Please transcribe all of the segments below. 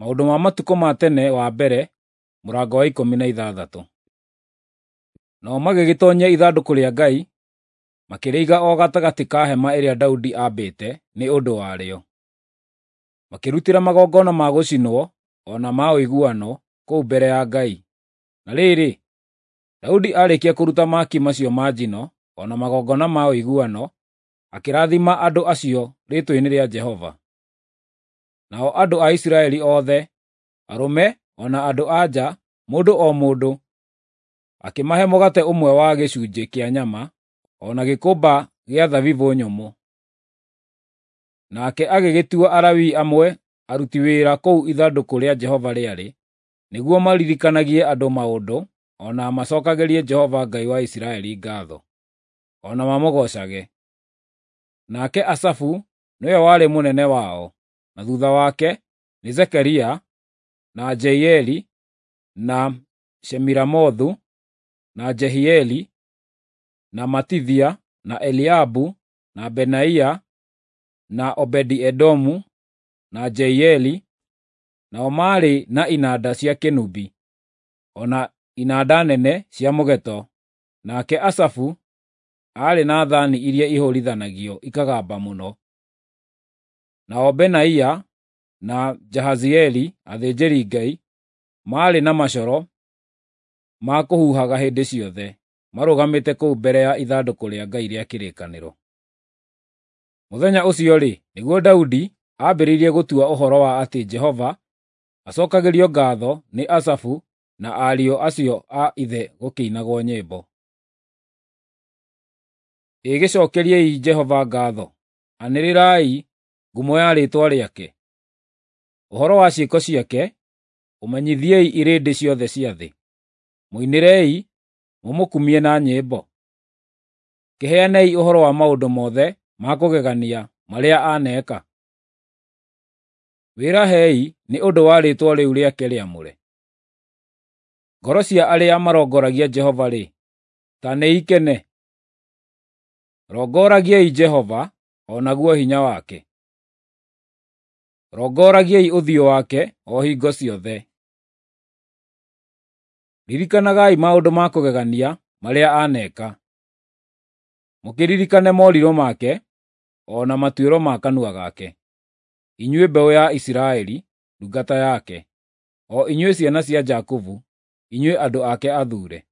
Maũndũ ma matukũ ma tene wa mbere, mũrango wa 16. Nao magĩgĩtonyia ithandũkũ rĩa Ngai, makĩrĩiga o gatagatĩ ka hema ĩrĩa Daudi aambĩte nĩ ũndũ warĩo. Makĩrutĩra magongona ma gũcinwo o na ma ũiguano kũu mbere ya Ngai. Na rĩrĩ, Daudi aarĩkia kũruta mahaki macio ma njino o na magongona ma ũiguano, akĩrathima andũ acio rĩĩtwa-inĩ rĩa Jehova. Nao andũ a Isiraeli othe, arũme o na andũ-a-nja, mũndũ o mũndũ, akĩmahe mũgate ũmwe wa gĩcunjĩ kĩa nyama, o na gĩkũmba gĩa thabibũ nyũmũ. Nake agĩgĩtua Alawii amwe aruti wĩra kũu ithandũkũ rĩa Jehova rĩarĩ, nĩguo maririkanagie andũ maũndũ o na macookagĩrie Jehova Ngai wa Isiraeli ngaatho, o na mamũgoocage. Nake Asafu nĩwe warĩ mũnene wao, na thuutha wake nĩ Zekaria, na Jeieli, na Shemiramothu, na Jehieli, na Matithia, na Eliabu, na Benaia, na Obedi-Edomu, na Jeieli, nao maarĩ na inanda cia kĩnũbi, o na inanda nene cia mũgeeto, nake Asafu aarĩ na thaani iria ihũũrithanagio ikagamba mũno. Nao Benaia na Jahazieli athĩnjĩri-Ngai maarĩ na macoro ma kũhuhaga hĩndĩ ciothe, marũgamĩte kũu mbere ya ithandũkũ rĩa Ngai rĩa kĩrĩkanĩro. Mũthenya ũcio-rĩ, nĩguo Daudi aambĩrĩirie gũtua ũhoro wa atĩ Jehova acookagĩrio ngaatho nĩ Asafu na ariũ acio a ithe gũkĩinagwo nyĩmbo. Ĩ gĩcookeriei Jehova ngaatho, anĩrĩrai ngumo ya rĩĩtwa rĩake. Ũhoro wa ciĩko ciake ũmenyithiei irĩndĩ ciothe cia thĩ. Mũinĩrei, mũmũkumie na nyĩmbo. Kĩheanei ũhoro wa maũndũ mothe ma kũgegania marĩa aneeka. Wĩrahei nĩ ũndũ wa rĩĩtwa rĩu rĩake rĩamũre. Ngoro cia arĩa marongoragia Jehova-rĩ, ta nĩikene. Rongoragiai Jehova, o naguo hinya wake. Rongoragiai ũthiũ wake o hingo ciothe. Ririkanagai maũndũ ma kũgegania marĩa aneeka, mũkĩririkane morirũ make o na matuĩro ma kanua gake, inyuĩ mbeũ ya Isiraeli, ndungata yake, o inyuĩ ciana cia Jakubu, inyuĩ andũ ake athuure.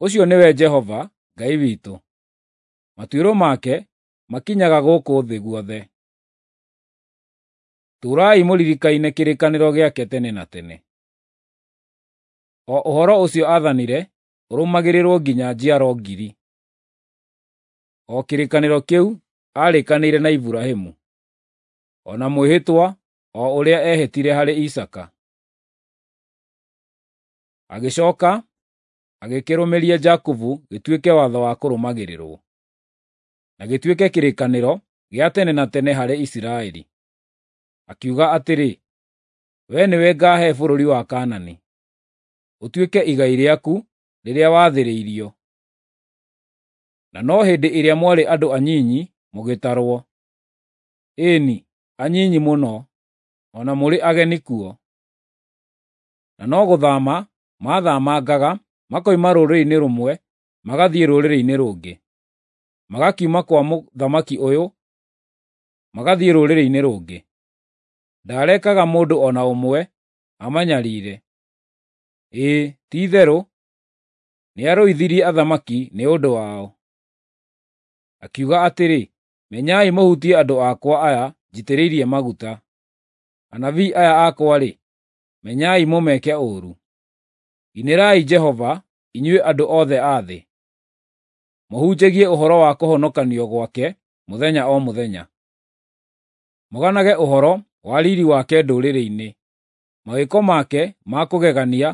Ũcio nĩwe Jehova, Ngai witũ; matuĩro make makinyaga gũkũ thĩ guothe. Tũũrai mũririkaine kĩrĩkanĩro gĩake tene na tene, o ũhoro ũcio aathanire ũrũmagĩrĩrwo nginya njiaro ngiri, o kĩrĩkanĩro kĩu aarĩkanĩire na Iburahĩmu, o na mwĩhĩtwa o ũrĩa eehĩtire harĩ Isaaka. Agĩcooka agĩkĩrũmĩria Jakubu gĩtuĩke watho wa kũrũmagĩrĩrwo, na gĩtuĩke kĩrĩkanĩro gĩa tene na tene harĩ Isiraeli. Akiuga atĩrĩ, “Wee nĩwe ngaahe bũrũri wa Kaanani, ũtuĩke igai rĩaku rĩrĩa wathĩrĩirio.” Na no hĩndĩ ĩrĩa mwarĩ andũ anyinyi mũgĩtarwo, ĩĩ-ni, anyinyi mũno, o na mũrĩ ageni kuo. Na no gũthaama maathamangaga makoima rũrĩrĩ-inĩ rũmwe magathiĩ rũrĩrĩ-inĩ rũngĩ, magakiuma kwa mũthamaki ũyũ magathiĩ rũrĩrĩ-inĩ rũngĩ. Ndaarekaga mũndũ o na ũmwe amanyariire. Ĩĩ, ti-itherũ nĩarũithirie athamaki nĩ ũndũ wao. Akiuga atĩrĩ, “Menyai mũhutie andũ akwa aya njitĩrĩirie maguta; anabii aya akwa-rĩ, menyai mũmeke ũũru.” Inĩrai Jehova, inyuĩ andũ othe a thĩ; mũhunjagie ũhoro wa kũhonokanio gwake mũthenya o mũthenya. Mũganage ũhoro wa riiri wake ndũrĩrĩ-inĩ, mawĩko make ma kũgegania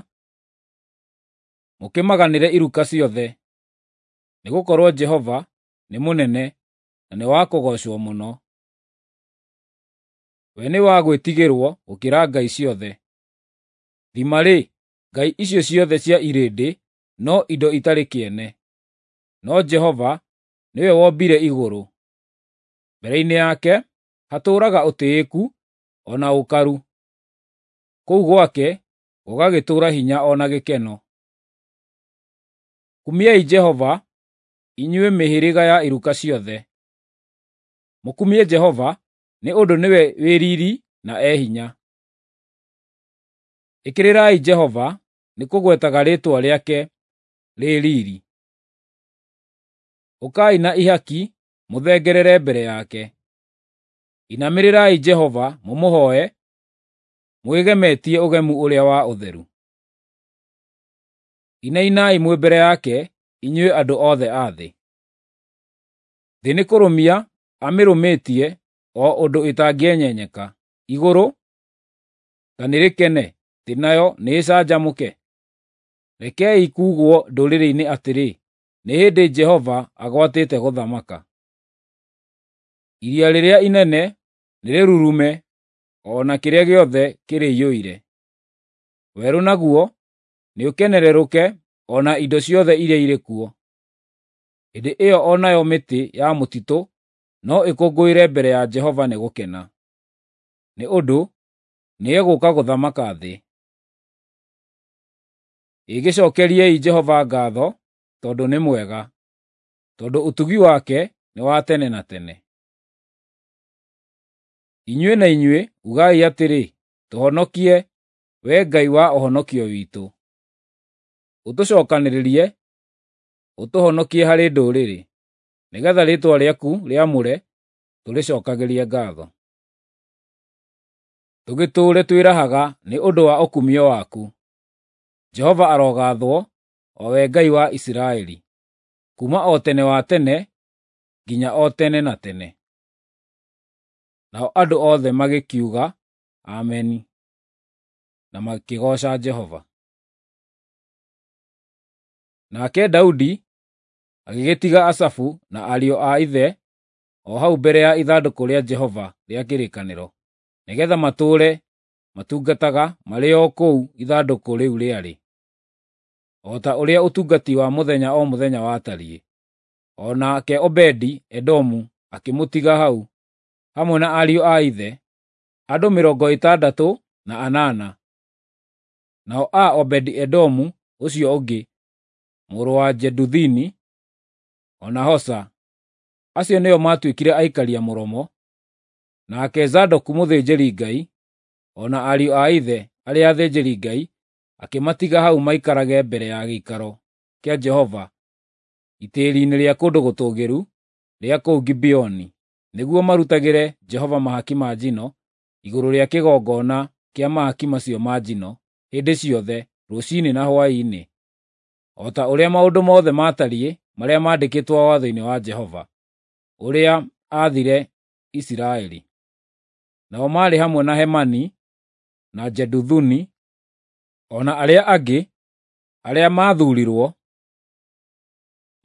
mũkĩmaganĩre iruka ciothe. Nĩgũkorwo Jehova nĩ mũnene na nĩ wa kũgoocwo mũno. We nĩ wa gwĩtigĩrwo gũkĩra ngai ciothe. Thima-rĩ, ngai icio ciothe cia irĩndĩ no indo itarĩ kĩene, no Jehova nĩwe wombire igũrũ. Mbere-inĩ yake hatũũraga ũtĩĩku o na ũkaru. Kũu gwake gũgagĩtũũra hinya o na gĩkeno. Kumiai Jehova, inyuĩ mĩhĩrĩga ya iruka ciothe. Mũkumie Jehova, nĩ ũndũ nĩwe wĩ riiri na e hinya. Ĩkĩrĩrai Jehova nĩ kũgwetaga rĩĩtwa rĩake rĩ riiri. Ũkai na ihaki mũthengerere mbere yake. Inamĩrĩrai Jehova mũmũhooe, mwĩgemetie ũgemu ũrĩa wa ũtheru. Inainai mwĩ mbere yake, inyuĩ andũ othe a thĩ. Thĩ nĩ kũrũmia amĩrũmĩtie o ũndũ ĩtangĩenyenyeka. Igũrũ ta nĩrĩkene, thĩ nayo nĩĩcanjamũke. Rekei kuugwo ndũrĩrĩ-inĩ atĩrĩ, nĩ hĩndĩ Jehova agwatĩte gũthamaka. Iria rĩrĩa inene nĩrĩrurume, o na kĩrĩa gĩothe kĩrĩiyũire. Werũ naguo nĩũkenerũrũke, o na indo ciothe iria irĩ kuo. Hĩndĩ ĩyo o nayo mĩtĩ ya mũtitũ no ĩkũngũĩre mbere ya Jehova nĩ gũkena, nĩ ũndũ nĩegũũka gũthamaka thĩ. Ĩgĩcookeriei Jehova ngaatho, tondũ nĩ mwega, tondũ ũtugi wake nĩ wa tene na tene. Inyuĩ na inyuĩ ugai atĩrĩ, “Tũhonokie, Wee Ngai wa ũhonokio witũ. Ũtũcookanĩrĩrie, ũtũhonokie harĩ ndũrĩrĩ, nĩgeetha rĩĩtwa rĩaku rĩamũre tũrĩcookagĩrie ngaatho. Tũgĩtũũre twĩrahaga nĩ ũndũ wa ũkumio waku. Jehova arogaathwo, o we Ngai wa Isiraeli, kuuma o tene wa tene nginya o tene na tene. Nao andũ othe magĩkiuga, “Ameni,” na makĩgooca Jehova. Nake Daudi agĩgĩtiga Asafu na ariũ a ithe o hau mbere ya ithandũkũ rĩa Jehova rĩa kĩrĩkanĩro, nĩgeetha matũũre matungataga marĩ o kũu ithandũkũ rĩu rĩarĩ, o ta ũrĩa ũtungati wa mũthenya o mũthenya watariĩ. O nake Obedi-Edomu akĩmũtiga hau, hamwe na ariũ a ithe, andũ 68. Nao a Obedi-Edomu ũcio ũngĩ, mũrũ wa Jeduthuni, o na Hosa, acio nĩo maatuĩkire aikaria mũromo, nake Zadoku mũthĩnjĩri-Ngai, o na ariũ a ithe arĩa athĩnjĩri-Ngai akĩmatiga hau maikarage mbere ya gĩikaro kĩa Jehova itĩĩri-inĩ rĩa kũndũ gũtũũgĩru rĩa kũu Gibeoni, nĩguo marutagĩre Jehova mahaki ma njino igũrũ rĩa kĩgongona kĩa mahaki macio ma njino hĩndĩ ciothe, rũciinĩ na hwaĩ-inĩ, o ta ũrĩa maũndũ mothe maatariĩ marĩa maandĩkĩtwo watho-inĩ wa Jehova, ũrĩa aathire Isiraeli. Nao maarĩ hamwe na Hemani na Jeduthuni, o na arĩa angĩ arĩa maathuurirwo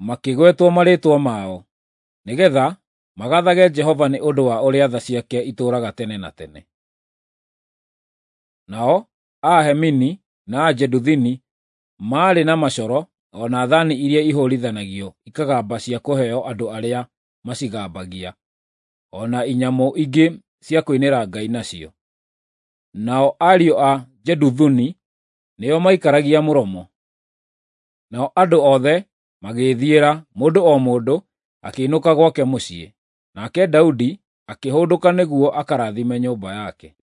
makĩgwetwo marĩĩtwa mao, nĩgeetha magaathage Jehova nĩ ũndũ wa ũrĩa tha ciake itũũraga tene na tene. Nao a Hemini na a Jeduthuni maarĩ na macoro o na thaani iria ihũũrithanagio ikagamba cia kũheo andũ arĩa macigambagia, o na inyamũ ingĩ cia kũinĩra Ngai nacio. Nao ariũ a Jeduthuni nĩo maikaragia mũromo. Nao andũ othe magĩĩthiĩra, mũndũ o mũndũ akĩinũka gwake mũciĩ. Nake Daudi akĩhũndũka nĩguo akarathime nyũmba yake.